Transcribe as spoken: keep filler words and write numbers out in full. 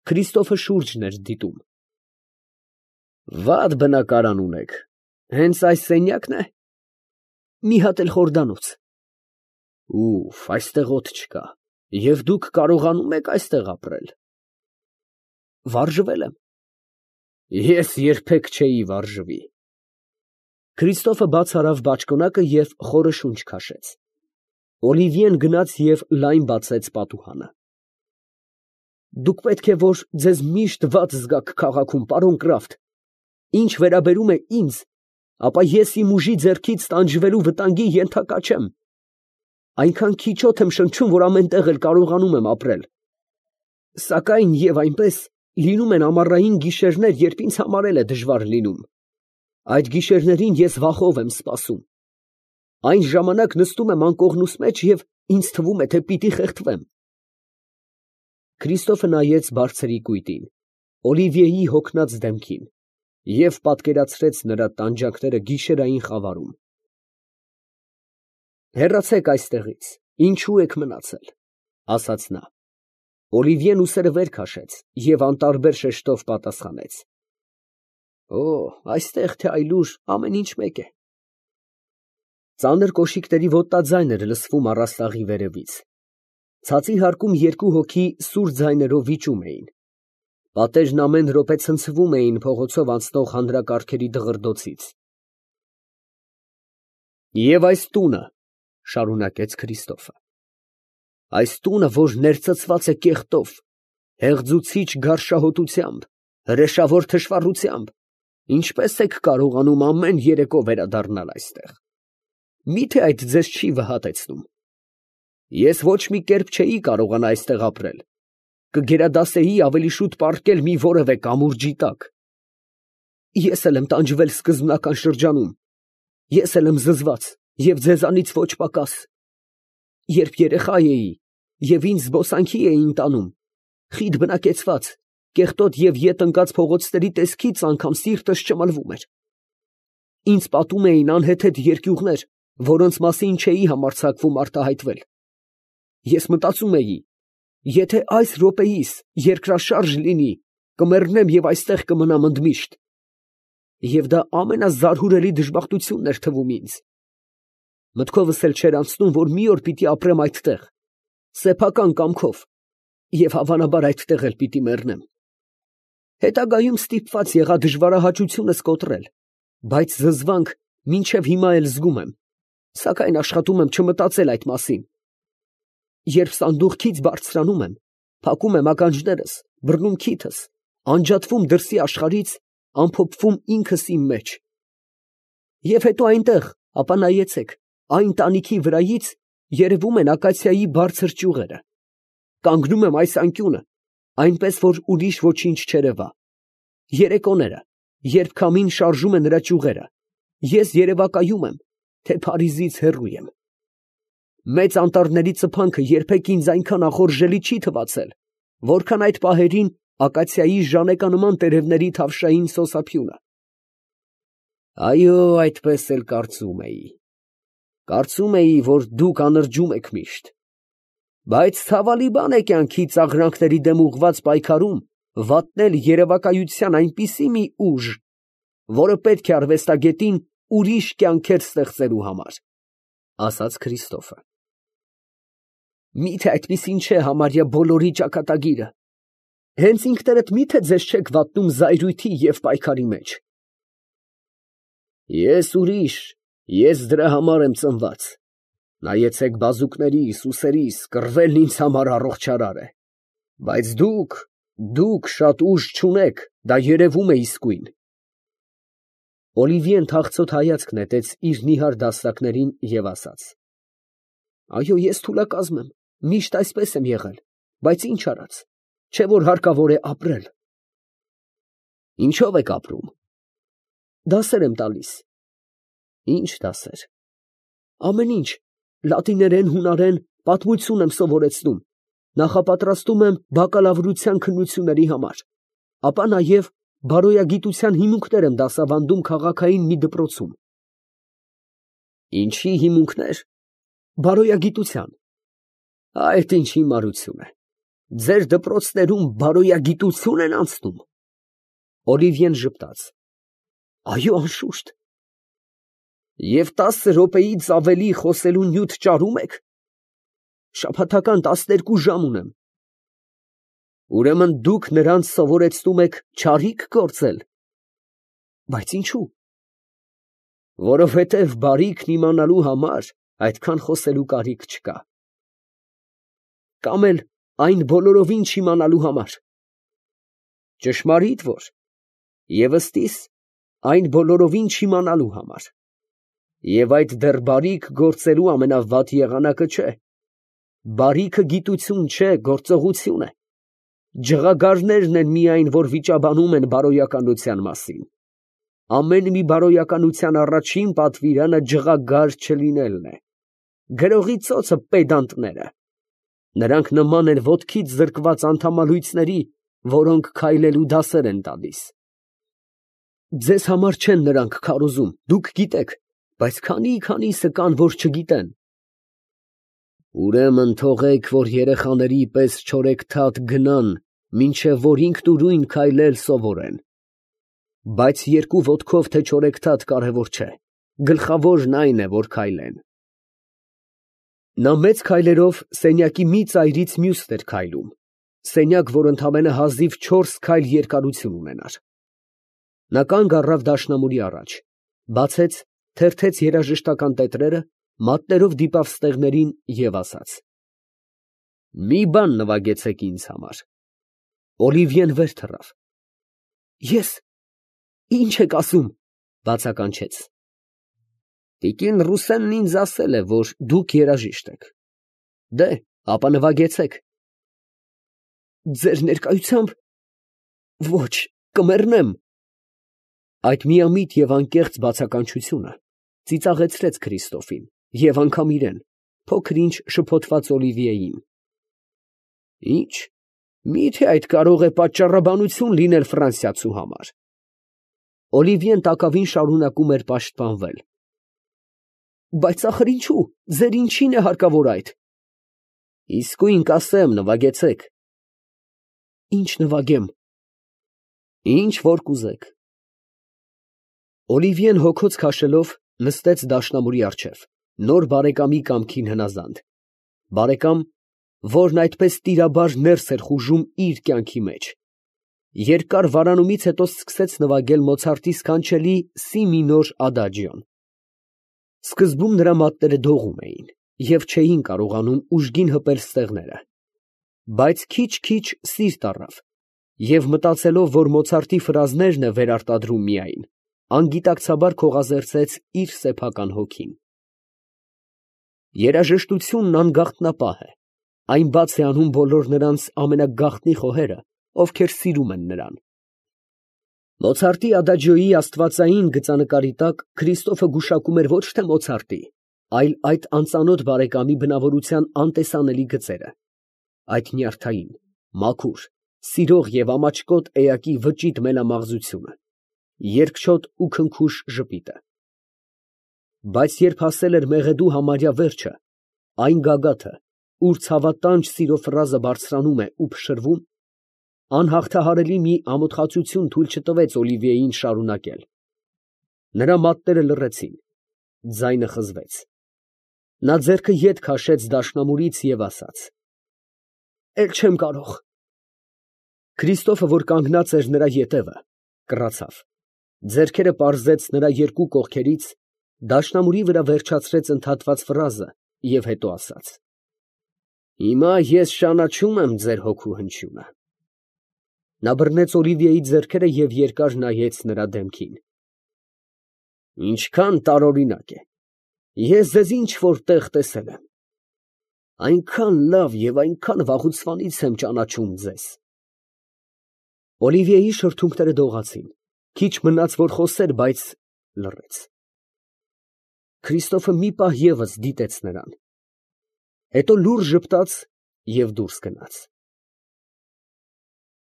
Քրիստոֆը շուրջն էր դիտում։ Վատ բնակարան ունեք, հենց այս սենյակն է։ Մի հատ էլ խորդանոց։ Ուֆ, այստեղ օդ չկա, և դուք կարողանում եք այստեղ ապրել։ Վարժվել եմ։ Ես երբեք չէի վարժվի։ Քրիստոֆը բաց արավ բաճկոնակը և խորը շունչ քաշեց։ Օլիվիեն գնաց և լայն բացեց պատուհանը։ Դուք պետք է որ ձեզ միշտ վատ զգաք քաղաքում, պարոն Կրաֆտ։ Ինչ վերաբերում է ինձ, ապա ես իմ ուժի ձեռքից տանջվելու վտանգի ենթակա չեմ։ Այնքան քիչոտ եմ շնչում, որ ամեն տեղ էլ կարողանում եմ ապրել։ Սակայն և այնպես լինում են ամառային գիշերներ, երբ ինձ համար էլ է դժվար լինում։ Այդ գիշերներին ես վախով եմ սպասում։ Այն ժամանակ նստում եմ անկողնուս մեջ և ինձ թվում է, թե պիտի խեղդվեմ։ Քրիստոֆը նայեց բարձրի կույտին, Օլիվիեի հոգնած դեմքին և պատկերացրեց նրա տանջանքները գիշերային խավարում։ Հեռացեք այստեղից, ինչու եք մնացել, ֊ ասաց նա։ Օլիվիեն ուսերը վեր քաշեց և անտարբեր շեշտով պատասխանեց. Օ, այստեղ թե այլուր ամեն ինչ մեկ է։ Ծանր կոշիկների ոտնաձայն էր լսվում առաստաղի վերևից։ Ցածի հարկում երկու հոգի սուր ձայներով վիճում էին։ Պատերն ամեն րոպե ցնցվում էին փողոցով անցնող հանրակարգերի դղրդոցից։ Եվ այս տունը, ֊ շարունակեց Քրիստոֆը, այս տունը, որ ներծծված է կեղտով, հեղձուցիչ գարշահոտությամբ, հրեշավոր թշվառությամբ, ինչպե՞ս եք կարողանում ամեն երեկո վերադառնալ այստեղ։ Մի՞թե այդ ձեզ չի վհատեցնում։ Ես ոչ մի կերպ չէի կարողանա այստեղ ապրել, կգերադասեի ավելի շուտ պառկել մի որևէ կամուրջի տակ։ Ես էլ եմ տանջվել սկզբնական շրջանում, ես էլ եմ զզված և ձեզանից ոչ պակաս։ Երբ երեխա էի և ինձ զբոսանքի էին տանում, խիտ բնակեցված, կեղտոտ և ետ ընկած փողոցների տեսքից անգամ սիրտս ճմլվում էր։ Ինձ պատում էին անհեթեթ երկյուղներ, որոնց մասին չէի համարձակվում արտահայտվել։ Ես մտածում էի, եթե այս րոպեիս երկրաշարժ լինի, կմեռնեմ և այստեղ կմնամ ընդմիշտ։ Եվ դա ամենազարհուրելի դժբախտությունն էր թվում ինձ։ Մտքովս էլ չէր անցնում, որ մի օր պիտի ապրեմ այդտեղ, սեփական կամքով, և հավանաբար այդտեղ էլ պիտի մեռնեմ։ Հետագայում ստիպված եղա դժվարահաճությունս կոտրել, բայց զզվանք մինչև հիմա էլ զգում եմ, սակայն աշխատում եմ չմտածել այդ մասին։ Երբ սանդուղքից բարձրանում եմ, փակում եմ ականջներս, բռնում քիթս, անջատվում դրսի աշխարհից, ամփոփվում ինքս իմ մեջ։ Եվ հետո այնտեղ, ապա նայեցեք, այն տանիքի վրայից երևում են ակացիայի բարձր ճյուղերը։ Կանգնում եմ այս անկյունը, այնպես որ ուրիշ ոչինչ չերևա։ Երեկոները, երբ քամին շարժում է նրա ճյուղերը, ես երևակայում եմ, թե Փարիզից հեռու եմ։ Մեծ անտառների ծփանքը երբեք ինձ այնքան ախորժելի չի թվացել, որքան այդ պահերին ակացիայի ժանեկանման տերևների թավշային սոսափյունը։ Այո, այդպես էլ կարծում էի։ Կարծում էի, որ դուք անրջում եք միշտ։ Բայց ցավալի բան է կյանքի ծաղրանքների դեմ ուղղված պայքարում վատնել երևակայության այնպիսի մի ուժ, որը պետք է արվեստագետին ուրիշ կյանքեր ստեղծելու համար, ֊ ասաց Քրիստոֆը։ Մի՞թե այդպիսին չէ համարյա բոլորի ճակատագիրը։ Հենց ինքներդ մի՞թե ձեզ չեք վատնում զայրույթի և պայքարի մեջ։ Ես ուրիշ, ես դրա համար եմ ծնված։ Նայեցեք բազուկներիս, ուսերիս, կռվելն ինձ համար առողջարար է։ Բայց դուք, դուք շատ ուժ չունեք, դա երևում է իսկույն։ Օլիվիեն թախծոտ հայացք նետեց իր նիհար դաստակներին և ասաց. Այո, ես թուլակազմ եմ, միշտ այսպես եմ եղել, բայց ինչ արած, չէ որ հարկավոր է ապրել։ Ինչո՞վ եք ապրում։ Դասեր եմ տալիս։ Ի՞նչ դասեր։ Ամեն ինչ, լատիներեն, հունարեն, պատմություն եմ սովորեցնում, նախապատրաստում եմ բակալավրության քննությունների համար, ապա նաև բարոյագիտության հիմունքներ եմ դասավանդում քաղաքային մի դպրոցում։ Ինչի հիմունքներ։ Բարոյագիտության։ Այդ ինչ հիմարություն է։ Ձեր դպրոցներում բարոյագիտություն են անցնում։ Օլիվիեն ժպտաց. Այո, անշուշտ։ Եվ տասը րոպեից ավելի խոսելու նյութ ճարում եք։ Շաբաթական տասներկու ժամ ունեմ։ Ուրեմն դուք նրանց սովորեցնում եք չարիք գործել։ Բայց ինչու։ Որովհետև բարիքն իմանալու համար այդքան խոսելու կարիք չկա։ Կամ էլ այն բոլորովին չիմանալու համար։ Ճշմարիտ որ, և ըստիս, այն բոլորովին չիմանալու համար։ Եվ այդ դեռ բարիք գործելու ամենավատ եղանակը չէ։ Բարիքը գիտություն չէ, գործողություն է։ Ջղագարներն են միայն, որ վիճաբանում են բարոյականության մասին։ Ամեն մի բարոյականության առաջին պատվիրանը ջղագար չլինելն է։ Գրողի ծոցը պեդանտները։ Նրանք նման են ոտքից զրկված անդամալույցների, որոնք քայլելու դասեր են տալիս։ Ձեզ համար չեն նրանք քարոզում, դուք գիտեք, բայց քանի՞֊քանիսը կան, որ չգիտեն։ Ուրեմն թողեք, որ երեխաների պես չորեքթաթ գնան, մինչև որ ինքնուրույն քայլել սովորեն։ Բայց երկու ոտքով թե չորեքթաթ կարևոր չէ, գլխավորն այն է, որ քայլեն։ Նա մեծ քայլերով սենյակի մի ծայրից մյուսն էր քայլում, սենյակ, որ ընդամենը հազիվ չորս քայլ երկարություն ունենար։ Նա կանգ առավ դաշնամուրի առաջ, բացեց, թերթեց երաժշտական տետրերը, մատներով դիպավ ստեղներին և ասաց. Մի բան նվագեցեք ինձ համար։ Օլիվիեն վեր թռավ։ Ես, ի՞նչ եք ասում, բացականչեց։ Տիկին Ռուսենն ինձ ասել է, որ դուք երաժիշտ եք։ Դե, ապա նվագեցեք։ Ձեր ներկայությամբ, ոչ, կմեռնեմ։ Այդ միամիտ և անկեղծ բացականչությունը ծիծաղեցրեց Քրիստոֆին և անգամ իրան, փոքր-ինչ շփոթված Օլիվիեին։ Ի՞նչ, մի՞թե այդ կարող է պատճառաբանություն լինել ֆրանսիացու համար։ Օլիվիեն տակավին շարունակում էր պաշտպանվել։ Բայց ախր ինչու, ձեր ինչին է հարկավոր այդ։ Իսկույն կասեմ, նվագեցեք։ Ինչ նվագեմ։ Ինչ որ կուզեք։ Օլիվիեն հոգոց քաշելով նստեց դաշնամուրի առջև, նոր բարեկամի կամքին հնազանդ, բարեկամ, որն այդպես տիրաբար ներս էր խուժում իր կյանքի մեջ։ Երկար վարանումից հետո սկսեց նվագել Մոցարտի սքանչելի սի մինոր ադաջիոն։ Սկզբում նրա մատները դողում էին և չէին կարողանում ուժգին հպել ստեղները, բայց քիչ֊քիչ սիրտ առավ և մտածելով, որ Մոցարտի ֆրազներն է վերարտադրում միայն, անգիտակցաբար քողազերծեց իր սեփական հոգին։ Երաժշտությունն անգախտնապահ է, այն բաց է անում բոլոր նրանց ամենագաղտնի խոհերը, ովքեր սիրում են նրան։ Մոցարտի ադաջիոյի աստվածային գծանկարի տակ Քրիստոֆը գուշակում էր ոչ թե Մոցարտի, այլ այդ անծանոթ բարեկամի բնավորության անտեսանելի գծերը, այդ նյարդային, մաքուր, սիրող և ամաչկոտ էակի վճիտ մելամաղձությունը, երկչոտ ու քնքուշ ժպիտը։ Բայց երբ հասել էր մեղեդու համարյա վերջը, այն գագաթը, ուր ցավատանջ սիրո ֆրազը բարձրանում է ու փշրվում, անհաղթահարելի մի ամոթխածություն թույլ չտվեց Օլիվիեին շարունակել։ Նրա մատները լռեցին, ձայնը խզվեց։ Նա ձեռքը ետ քաշեց դաշնամուրից և ասաց. Էլ չեմ կարող։ Քրիստոֆը, որ կանգնած էր նրա ետևը, կռացավ, ձեռքերը պարզեց նրա երկու կողքերից, դաշնամուրի վրա վերջացրեց ընդհատված ֆրազը և հետո ասաց. Հիմա ես ճանաչում եմ ձեր հոգու հնչյունը։ Նա բռնեց Օլիվիեի ձեռքերը և երկար նայեց նրա դեմքին։ Ինչքան տարօրինակ է, ես ձեզ ինչ֊որ տեղ տեսել եմ։ Այնքան լավ և այնքան վաղուցվանից եմ ճանաչում ձեզ։ Օլիվիեի շրթունքները դողացին, քիչ մնաց, որ խոսեր, բայց լռեց։ Քրիստոֆը մի պահ ևս դիտեց նրան, հետո լուռ ժպտաց և դուրս գնաց։